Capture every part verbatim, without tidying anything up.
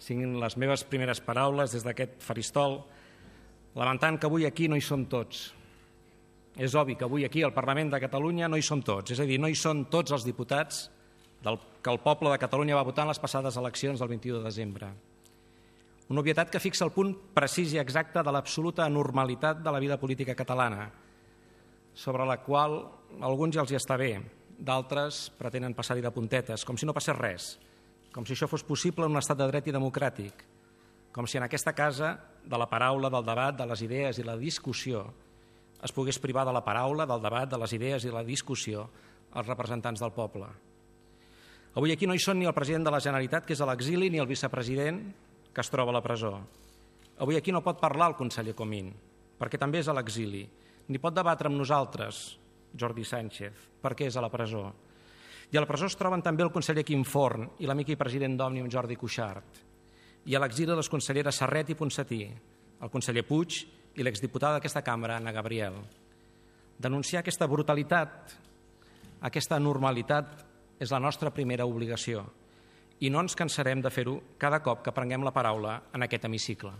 siguin les meves primeres paraules des d'aquest faristol, lamentant que avui aquí no hi som tots. És obvi que avui aquí al Parlament de Catalunya no hi som tots, és a dir, no hi són tots els diputats del que el poble de Catalunya va votar en les passades eleccions del vint-i-u de desembre. Una obvietat que fixa el punt precís i exacte de l'absoluta anormalitat de la vida política catalana, sobre la qual a alguns ja els hi està bé, d'altres pretenen passar-hi de puntetes, com si no passés res, com si això fos possible en un estat de dret i democràtic, com si en aquesta casa de la paraula, del debat, de les idees i la discussió es pogués privar de la paraula, del debat, de les idees i la discussió els representants del poble. Avui aquí no hi són ni el president de la Generalitat, que és a l'exili, ni el vicepresident, que es troba a la presó. Avui aquí no pot parlar el conseller Comín, perquè també és a l'exili, ni pot debatre amb nosaltres, Jordi Sánchez, perquè és a la presó. I a la presó es troben també el conseller Quim Forn i l'amic i president d'Òmnium Jordi Cuixart. I a l'exili les conselleres Serret i Ponsatí, el conseller Puig i l'exdiputada d'aquesta cambra, Anna Gabriel. Denunciar aquesta brutalitat, aquesta anormalitat, és la nostra primera obligació i no ens cansarem de fer-ho cada cop que prenguem la paraula en aquest hemicicle.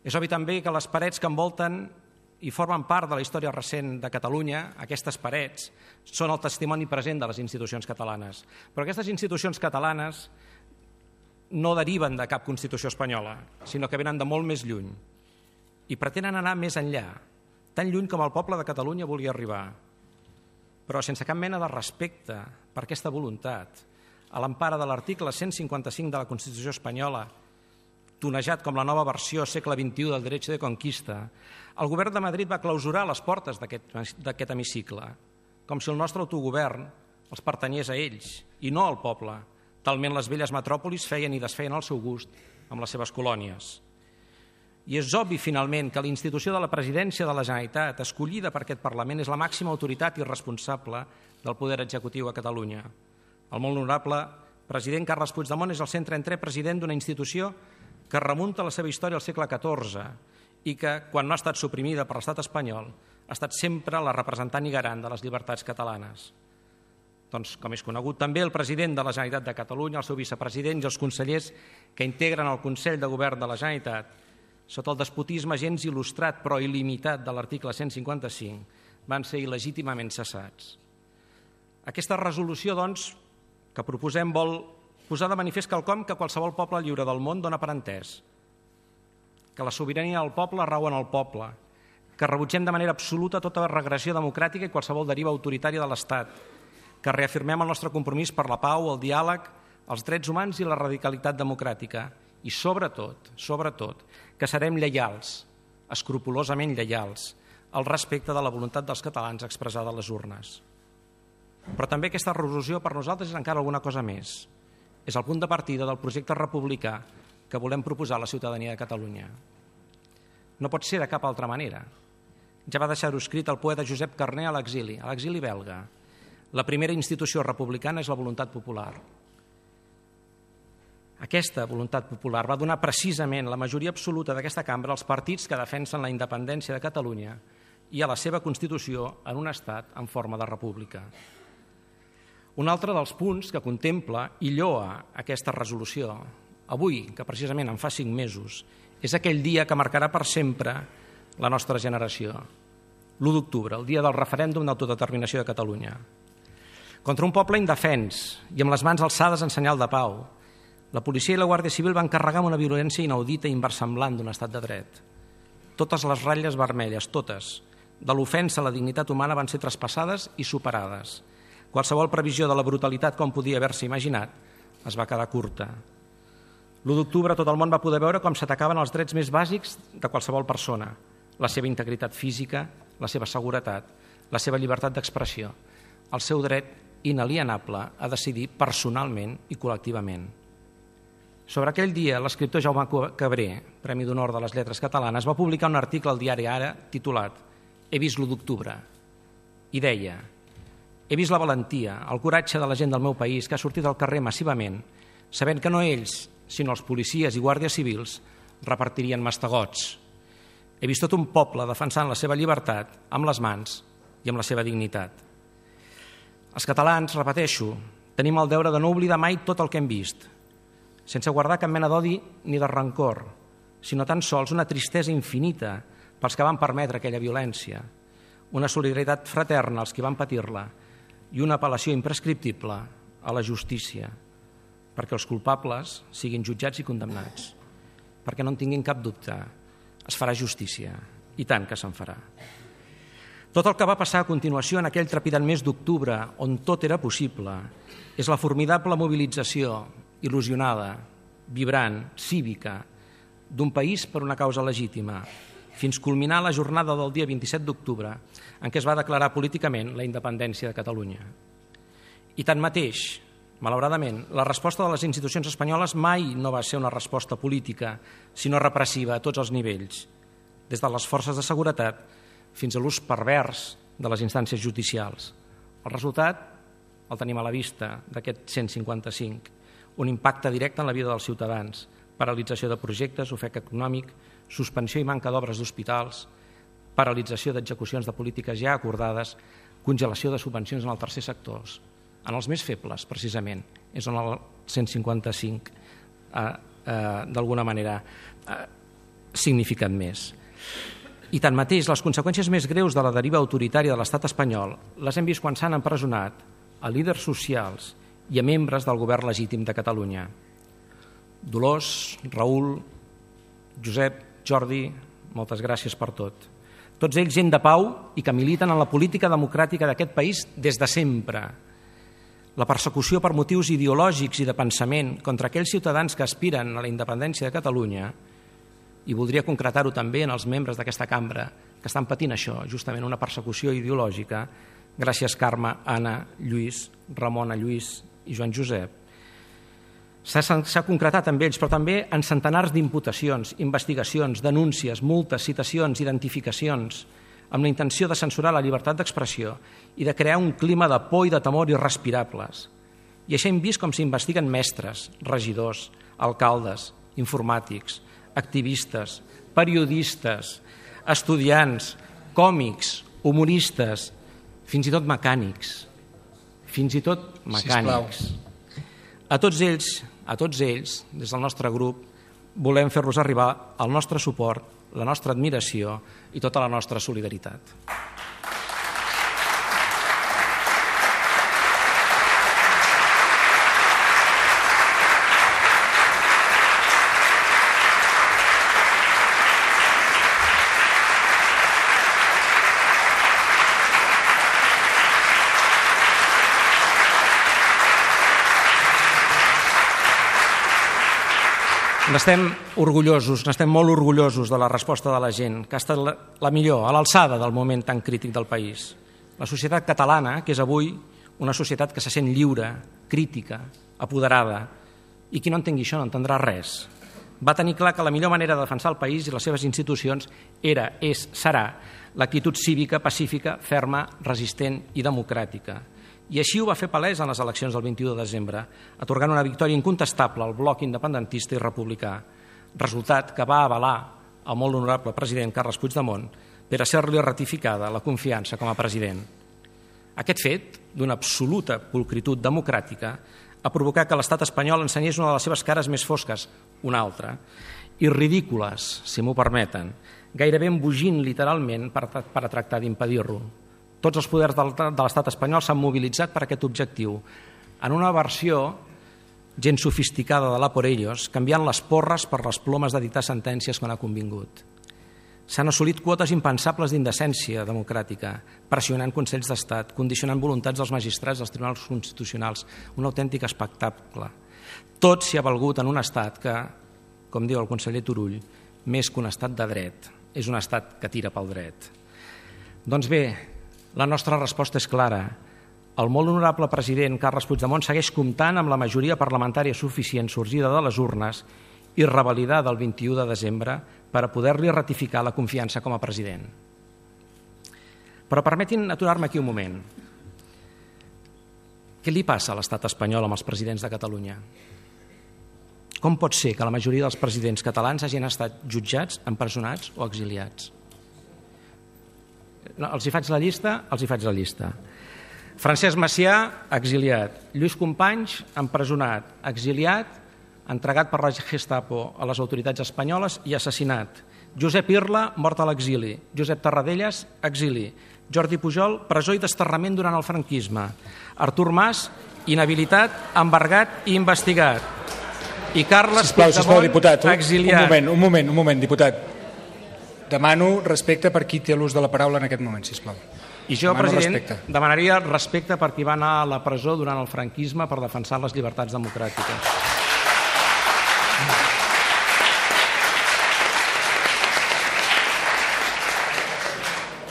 És obvi també que les parets que envolten i formen part de la història recent de Catalunya, aquestes parets, són el testimoni present de les institucions catalanes. Però aquestes institucions catalanes no deriven de cap Constitució espanyola, sinó que venen de molt més lluny i pretenen anar més enllà, tan lluny com el poble de Catalunya volia arribar, però sense cap mena de respecte per aquesta voluntat, a l'empara de l'article cent cinquanta-cinc de la Constitució espanyola, tonejat com la nova versió segle vint-i-u del Derecho de Conquista, el govern de Madrid va clausurar les portes d'aquest hemicicle, com si el nostre autogovern els pertanyés a ells i no al poble. Talment les velles metròpolis feien i desfeien al seu gust amb les seves colònies. I és obvi, finalment, que la institució de la presidència de la Generalitat, escollida per aquest Parlament, és la màxima autoritat i responsable del poder executiu a Catalunya. El molt honorable president Carles Puigdemont és el cent trenta-tre president d'una institució que remunta la seva història al segle catorze i que, quan no ha estat suprimida per l'estat espanyol, ha estat sempre la representant i garant de les llibertats catalanes. Doncs, com és conegut, també el president de la Generalitat de Catalunya, el seu vicepresident i els consellers que integren el Consell de Govern de la Generalitat, sota el despotisme gens il·lustrat però il·limitat de l'article cent cinquanta-cinc, van ser il·legítimament cessats. Aquesta resolució, doncs, que proposem vol posar de manifest quelcom que qualsevol poble lliure del món dona per entès, que la sobirania del poble rau en el poble, que rebutgem de manera absoluta tota regressió democràtica i qualsevol deriva autoritària de l'Estat, que reafirmem el nostre compromís per la pau, el diàleg, els drets humans i la radicalitat democràtica i, sobretot, sobretot, que serem lleials, escrupolosament lleials, al respecte de la voluntat dels catalans expressada a les urnes. Però també aquesta resolució per nosaltres és encara alguna cosa més. És el punt de partida del projecte republicà que volem proposar a la ciutadania de Catalunya. No pot ser de cap altra manera. Ja va deixar-ho escrit el poeta Josep Carner a l'exili, a l'exili belga. La primera institució republicana és la voluntat popular. Aquesta voluntat popular va donar precisament la majoria absoluta d'aquesta cambra als partits que defensen la independència de Catalunya i a la seva Constitució en un estat en forma de república. Un altre dels punts que contempla i lloa aquesta resolució, avui, que precisament en fa cinc mesos, és aquell dia que marcarà per sempre la nostra generació, l'u d'octubre, el dia del referèndum d'autodeterminació de Catalunya. Contra un poble indefens i amb les mans alçades en senyal de pau, la policia i la Guàrdia Civil van carregar amb una violència inaudita i inversemblant d'un estat de dret. Totes les ratlles vermelles, totes, de l'ofensa a la dignitat humana van ser traspassades i superades. Qualsevol previsió de la brutalitat com podia haver-se imaginat es va quedar curta. l'u d'octubre tot el món va poder veure com s'atacaven els drets més bàsics de qualsevol persona, la seva integritat física, la seva seguretat, la seva llibertat d'expressió, el seu dret inalienable a decidir personalment i col·lectivament. Sobre aquell dia, l'escriptor Jaume Cabré, Premi d'Honor de les Lletres Catalanes, va publicar un article al diari Ara titulat «He vist l'u d'octubre» i deia «He vist la valentia, el coratge de la gent del meu país que ha sortit al carrer massivament, sabent que no ells, sinó els policies i guàrdies civils, repartirien mastegots. He vist tot un poble defensant la seva llibertat amb les mans i amb la seva dignitat. Els catalans, repeteixo, tenim el deure de no oblidar mai tot el que hem vist, sense guardar cap mena d'odi ni de rancor, sinó tan sols una tristesa infinita pels que van permetre aquella violència, una solidaritat fraterna als qui van patir-la i una apel·lació imprescriptible a la justícia, perquè els culpables siguin jutjats i condemnats, perquè no en tinguin cap dubte, es farà justícia, i tant que se'n farà. Tot el que va passar a continuació en aquell trepidant mes d'octubre, on tot era possible, és la formidable mobilització il·lusionada, vibrant, cívica, d'un país per una causa legítima, fins culminar la jornada del dia vint-i-set d'octubre, en què es va declarar políticament la independència de Catalunya. I tanmateix, malauradament, la resposta de les institucions espanyoles mai no va ser una resposta política, sinó repressiva a tots els nivells, des de les forces de seguretat fins a l'ús pervers de les instàncies judicials. El resultat el tenim a la vista d'aquest cent cinquanta-cinc, un impacte directe en la vida dels ciutadans, paralització de projectes, ofec econòmic, suspensió i manca d'obres d'hospitals, paralització d'execucions de polítiques ja acordades, congelació de subvencions en el tercer sector. En els més febles, precisament, és on el cent cinquanta-cinc eh, eh, d'alguna manera ha eh, significat més. I tanmateix, les conseqüències més greus de la deriva autoritària de l'estat espanyol les hem vist quan s'han empresonat a líders socials i a membres del govern legítim de Catalunya. Dolors, Raül, Josep, Jordi, moltes gràcies per tot. Tots ells gent de pau i que militen en la política democràtica d'aquest país des de sempre. La persecució per motius ideològics i de pensament contra aquells ciutadans que aspiren a la independència de Catalunya, i voldria concretar-ho també en els membres d'aquesta cambra que estan patint això, justament una persecució ideològica, gràcies Carme, Anna, Lluís, Ramona, Lluís i Joan Josep. S'ha concretat amb ells, però també en centenars d'imputacions, investigacions, denúncies, multes, citacions, identificacions, amb la intenció de censurar la llibertat d'expressió i de crear un clima de por i de temor irrespirables. I així hem vist com s'investiguen mestres, regidors, alcaldes, informàtics, activistes, periodistes, estudiants, còmics, humoristes, fins i tot mecànics. Fins i tot mecànics. A tots ells, a tots ells, des del nostre grup, volem fer-los arribar el nostre suport, la nostra admiració i tota la nostra solidaritat. N'estem orgullosos, n'estem molt orgullosos de la resposta de la gent, que ha estat la, la millor, a l'alçada del moment tan crític del país. La societat catalana, que és avui una societat que se sent lliure, crítica, apoderada, i qui no entengui això no entendrà res. Va tenir clar que la millor manera de defensar el país i les seves institucions era, és, serà l'actitud cívica, pacífica, ferma, resistent i democràtica. I així ho va fer palès en les eleccions del vint-i-u de desembre, atorgant una victòria incontestable al bloc independentista i republicà, resultat que va avalar el molt honorable president Carles Puigdemont per a ser-li ratificada la confiança com a president. Aquest fet, d'una absoluta pulcritud democràtica, ha provocat que l'estat espanyol ensenyés una de les seves cares més fosques, una altra, i ridícules, si m'ho permeten, gairebé embogint literalment per, per a tractar d'impedir-ho. Tots els poders de l'estat espanyol s'han mobilitzat per aquest objectiu, en una versió gent sofisticada de la por ellos, canviant les porres per les plomes de dictar sentències quan ha convingut. S'han assolit quotes impensables d'indecència democràtica, pressionant Consells d'Estat, condicionant voluntats dels magistrats dels tribunals constitucionals, un autèntic espectacle. Tot s'hi ha valgut en un estat que, com diu el conseller Turull, més que un estat de dret, és un estat que tira pel dret. Doncs bé, la nostra resposta és clara. El molt honorable president Carles Puigdemont segueix comptant amb la majoria parlamentària suficient sorgida de les urnes i revalidada el vint-i-u de desembre per a poder-li ratificar la confiança com a president. Però permetin aturar-me aquí un moment. Què li passa a l'estat espanyol amb els presidents de Catalunya? Com pot ser que la majoria dels presidents catalans hagin estat jutjats, empresonats o exiliats? No, els hi faig la llista, els hi faig la llista. Francesc Macià, exiliat. Lluís Companys, empresonat. Exiliat entregat per la Gestapo a les autoritats espanyoles i assassinat. Josep Irla, mort a l'exili. Josep Tarradellas, exili. Jordi Pujol, presó i desterrament durant el franquisme. Artur Mas, inhabilitat, embargat i investigat. I Carles sisplau, sisplau, diputat, un, exiliat. Un moment, un moment, un moment, diputat. Demano respecte per qui té l'ús de la paraula en aquest moment, sisplau. I jo, Demano president, respecte. demanaria respecte per qui va anar a la presó durant el franquisme per defensar les llibertats democràtiques.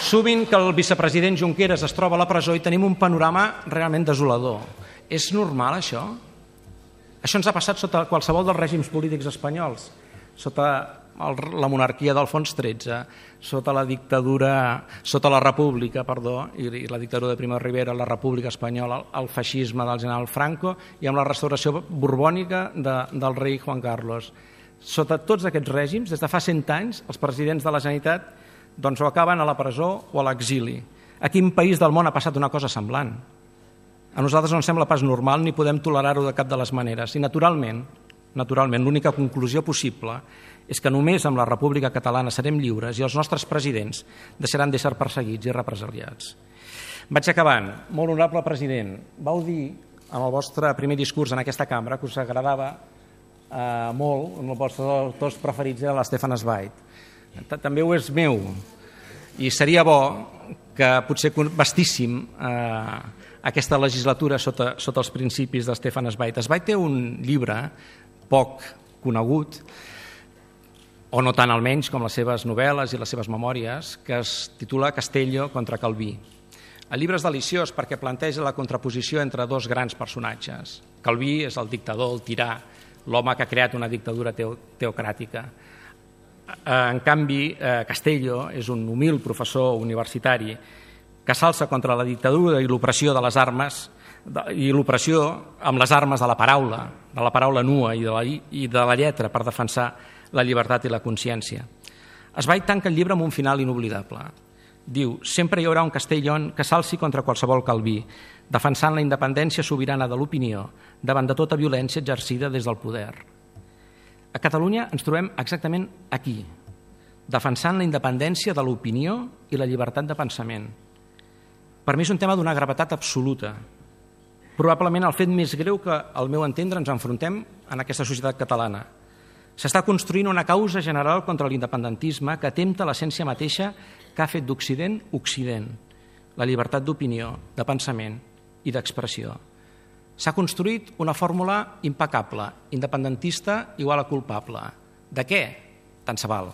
Sovint que el vicepresident Junqueras es troba a la presó i tenim un panorama realment desolador. És normal, això? Això ens ha passat sota qualsevol dels règims polítics espanyols, sota el, la monarquia d'Alfons tretze, sota la dictadura, sota la república, perdó, i, i la dictadura de Primo de Rivera, la república espanyola, el, el feixisme del general Franco i amb la restauració borbònica de, del rei Juan Carlos. Sota tots aquests règims, des de fa cent anys, els presidents de la Generalitat doncs, o acaben a la presó o a l'exili. A quin país del món ha passat una cosa semblant? A nosaltres no ens sembla pas normal ni podem tolerar-ho de cap de les maneres. I naturalment, naturalment, l'única conclusió possible és que només amb la República Catalana serem lliures i els nostres presidents deixaran d'ésser perseguits i represaliats. Vaig acabant. Molt honorable president, vau dir en el vostre primer discurs en aquesta cambra que us agradava eh, molt, un dels vostres autors preferits era l'Stefan Zweig. També ho és meu i seria bo que potser vestíssim eh, aquesta legislatura sota, sota els principis de Stefan Zweig. Zweig té un llibre poc conegut, o no tant almenys com les seves novel·les i les seves memòries, que es titula Castellio contra Calví. El llibre és deliciós perquè planteja la contraposició entre dos grans personatges. Calví és el dictador, el tirà, l'home que ha creat una dictadura teo, teocràtica. En canvi, Castello és un humil professor universitari que s'alça contra la dictadura i l'opressió de les armes i l'opressió amb les armes de la paraula, de la paraula nua i de la, i de la lletra per defensar la llibertat i la consciència. Zweig tanca el llibre amb un final inoblidable. Diu, sempre hi haurà un Castellón que s'alci contra qualsevol Calví, defensant la independència sobirana de l'opinió davant de tota violència exercida des del poder. A Catalunya ens trobem exactament aquí, defensant la independència de l'opinió i la llibertat de pensament. Per mi és un tema d'una gravetat absoluta. Probablement el fet més greu que, al meu entendre, ens enfrontem en aquesta societat catalana. S'està construint una causa general contra l'independentisme que atempta l'essència mateixa que ha fet d'Occident Occident, la llibertat d'opinió, de pensament i d'expressió. S'ha construït una fórmula impecable, independentista igual a culpable. De què? Tant se val.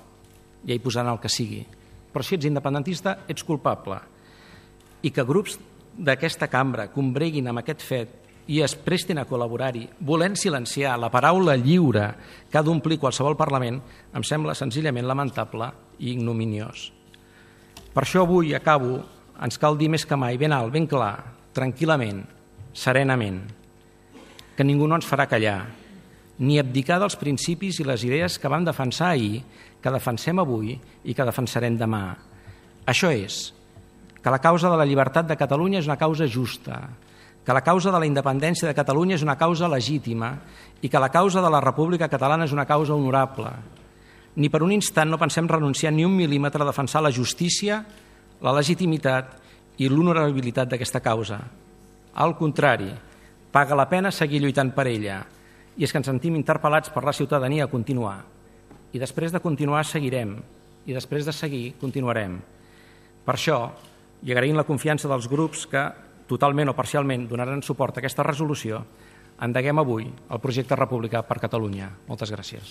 Ja hi posaran el que sigui. Però si ets independentista, ets culpable. I que grups d'aquesta cambra combreguin amb aquest fet i es prestin a col·laborar-hi, volent silenciar la paraula lliure que ha d'omplir qualsevol Parlament, em sembla senzillament lamentable i ignominiós. Per això avui acabo, ens cal dir més que mai, ben alt, ben clar, tranquil·lament, serenament, que ningú no ens farà callar, ni abdicar dels principis i les idees que vam defensar ahir, que defensem avui i que defensarem demà. Això és, que la causa de la llibertat de Catalunya és una causa justa, que la causa de la independència de Catalunya és una causa legítima i que la causa de la República Catalana és una causa honorable. Ni per un instant no pensem renunciar ni un mil·límetre a defensar la justícia, la legitimitat i l'honorabilitat d'aquesta causa. Al contrari, paga la pena seguir lluitant per ella i és que ens sentim interpel·lats per la ciutadania a continuar. I després de continuar seguirem i després de seguir continuarem. Per això, i agraint la confiança dels grups que totalment o parcialment donaran suport a aquesta resolució, endeguem avui el projecte republicà per Catalunya. Moltes gràcies.